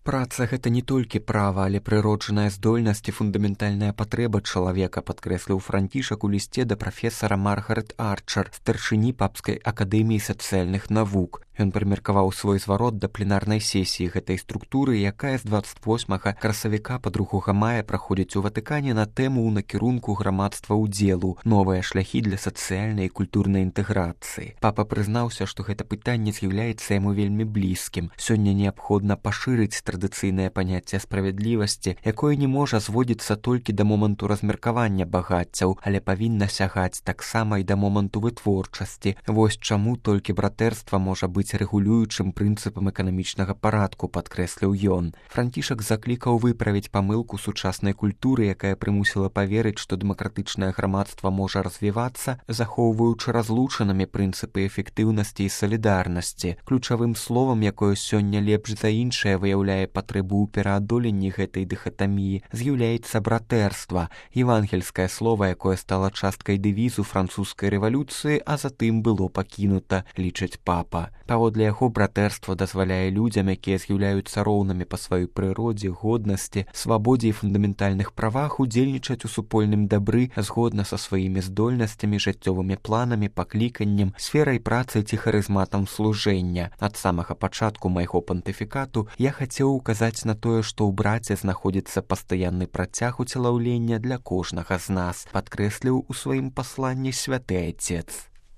Праца гэта не толькі права, але прыроджаная здольнасць і фундаментальная патрэба чалавека, падкрэсліў Францішак у лісце да прафесара Маргарет Арчер, старшыні папскай акадэміі сацыяльных навук. Ён прымеркаваў свой зварот да пленарнай сесіі гэтай структуры, якая з 28 красавіка па 2 мая праходзіць у Ватыкане на тэму ў накірунку грамадства ўдзелу, новыя шляхі для сацыяльнай і культурнай інтэграцыі. Папа прызнаўся, што гэта пытанне з'яўляецца яму вельмі блізкім. Сёння неабходна пашырыць традыцыйнае паняцце справядлівасці, якое не можа зводзіцца толькі да моманту размеркавання багаццяў, але павінна сягаць таксама і да моманту вытворчасці. Вось чаму толькі братэрства можа быць рэгулюючым прынцыпам эканамічнага парадку, падкрэсліў ён. Францішак заклікаў выправіць памылку сучаснай культуры, якая прымусіла паверыць, што дэмакратычнае грамадства можа развівацца, захоўваючы разлучанымі прынцыпы эфектыўнасці і салідарнасці. Ключавым словам, якое сёння лепш за іншае выяўляе патрэбу ў пераадоленні гэтай дыхатаміі, з'яўляецца братэрства, евангельскае слова, якое стала часткай дэвізу французскай рэвалюцыі, а затым было пакінута, лічыць папа. Паводле яго братэрства дазваляе людзям, якія з'яўляюцца роўнымі па сваёй прыродзе, годнасці, свабодзе і фундаментальных правах удзельнічаць у супольным дабры згодна са сваімі здольнасцямі, жыццёвымі планамі, пакліканнем, сферай працы ці харызматам служэння. Ад самага пачатку майго пантыфікату я хацеў указаць на тое, што ў браце знаходзіцца пастаянны працяг уцелаўлення для кожнага з нас, падкрэсліў у сваім пасланні святы айцец.